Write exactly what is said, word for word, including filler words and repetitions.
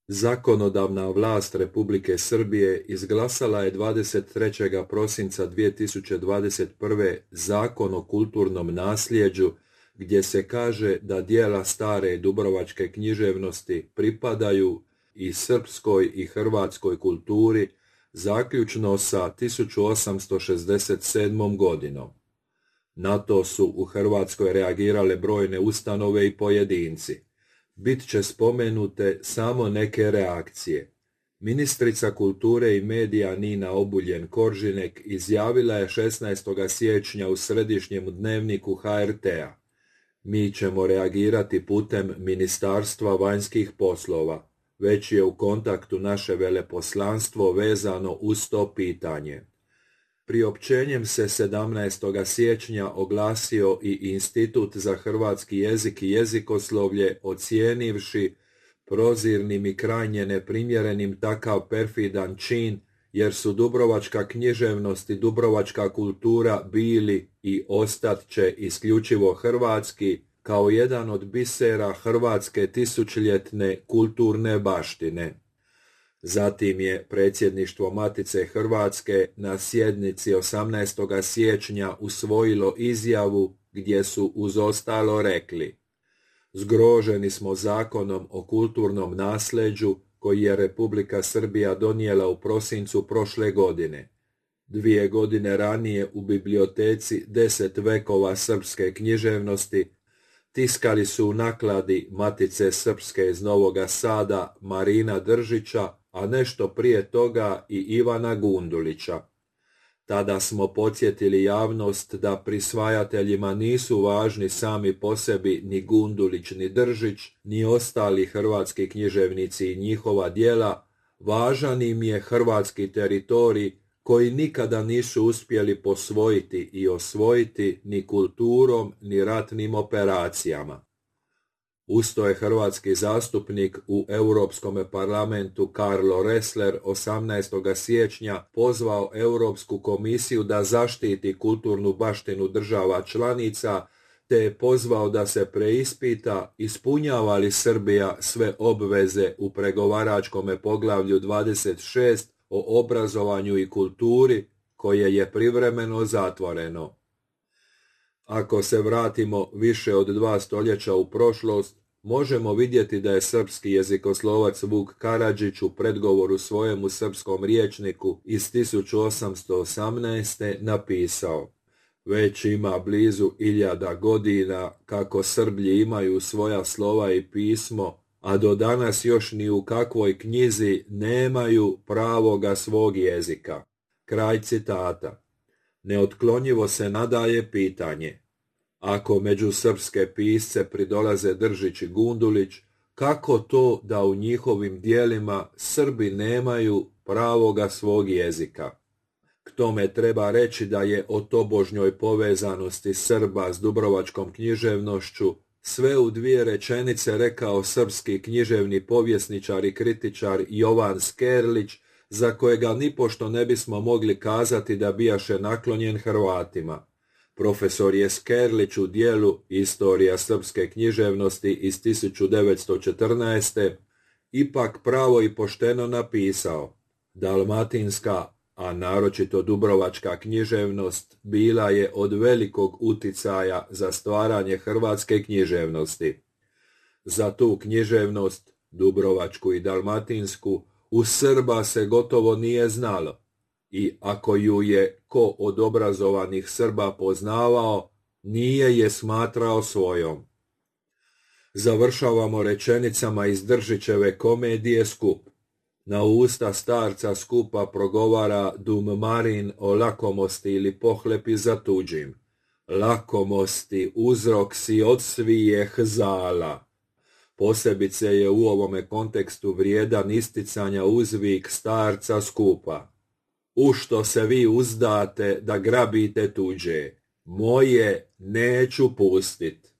Zakonodavna vlast Republike Srbije izglasala je dvadeset trećeg prosinca dvije tisuće dvadeset prve Zakon o kulturnom nasljeđu, gdje se kaže da djela stare dubrovačke književnosti pripadaju i srpskoj i hrvatskoj kulturi, zaključno sa tisuću osamsto šezdeset sedmom. godinom. Na to su u Hrvatskoj reagirale brojne ustanove i pojedinci. Bit će spomenute samo neke reakcije. Ministrica kulture i medija Nina Obuljen-Koržinek izjavila je šesnaestog siječnja u središnjem dnevniku ha er te-a: "Mi ćemo reagirati putem Ministarstva vanjskih poslova. Već je u kontaktu naše veleposlanstvo vezano uz to pitanje." Priopćenjem se sedamnaestog siječnja oglasio i Institut za hrvatski jezik i jezikoslovlje, ocijenivši prozirnim i krajnje neprimjerenim takav perfidan čin, jer su dubrovačka književnost i dubrovačka kultura bili i ostat će isključivo hrvatski, kao jedan od bisera hrvatske tisućljetne kulturne baštine. Zatim je predsjedništvo Matice Hrvatske na sjednici osamnaestog siječnja usvojilo izjavu gdje su uz ostalo rekli: "Zgroženi smo Zakonom o kulturnom nasljeđu koji je Republika Srbija donijela u prosincu prošle godine. Dvije godine ranije u biblioteci Deset vekova srpske književnosti tiskali su u nakladi Matice Srpske iz Novoga Sada Marina Držića, a nešto prije toga i Ivana Gundulića. Tada smo podsjetili javnost da prisvajateljima nisu važni sami po sebi ni Gundulić ni Držić, ni ostali hrvatski književnici i njihova djela, važan im je hrvatski teritorij koji nikada nisu uspjeli posvojiti i osvojiti ni kulturom ni ratnim operacijama." Usto je hrvatski zastupnik u Europskom parlamentu Karlo Ressler osamnaestog siječnja pozvao Europsku komisiju da zaštiti kulturnu baštinu država članica, te je pozvao da se preispita ispunjava li Srbija sve obveze u pregovaračkom poglavlju dvadeset šest o obrazovanju i kulturi, koje je privremeno zatvoreno. Ako se vratimo više od dva stoljeća u prošlost, možemo vidjeti da je srpski jezikoslovac Vuk Karadžić u predgovoru svojemu srpskom rječniku iz tisuću osamsto osamnaeste. napisao: "Već ima blizu iljada godina kako Srblji imaju svoja slova i pismo, a do danas još ni u kakvoj knjizi nemaju pravoga svog jezika." Kraj citata. Neotklonjivo se nadaje pitanje: ako među srpske pisce pridolaze Držić i Gundulić, kako to da u njihovim djelima Srbi nemaju pravoga svog jezika? K tome treba reći da je o tobožnjoj povezanosti Srba s dubrovačkom književnošću sve u dvije rečenice rekao srpski književni povjesničar i kritičar Jovan Skerlić, za kojega nipošto ne bismo mogli kazati da bijaše naklonjen Hrvatima. Profesor je Skerlić u dijelu Istorija srpske književnosti iz tisuću devetsto četrnaeste. ipak pravo i pošteno napisao: "Dalmatinska, a naročito dubrovačka književnost bila je od velikog uticaja za stvaranje hrvatske književnosti. Za tu književnost, dubrovačku i dalmatinsku, u Srba se gotovo nije znalo, i ako ju je ko od obrazovanih Srba poznavao, nije je smatrao svojom." Završavamo rečenicama iz Držićeve komedije Skup. Na usta starca Skupa progovara Dum Marin o lakomosti ili pohlepi za tuđim. "Lakomosti uzrok si od svijeh zala." Posebice je u ovome kontekstu vrijedan isticanja uzvik starca Skupa: "U što se vi uzdate da grabite tuđe, moje neću pustit."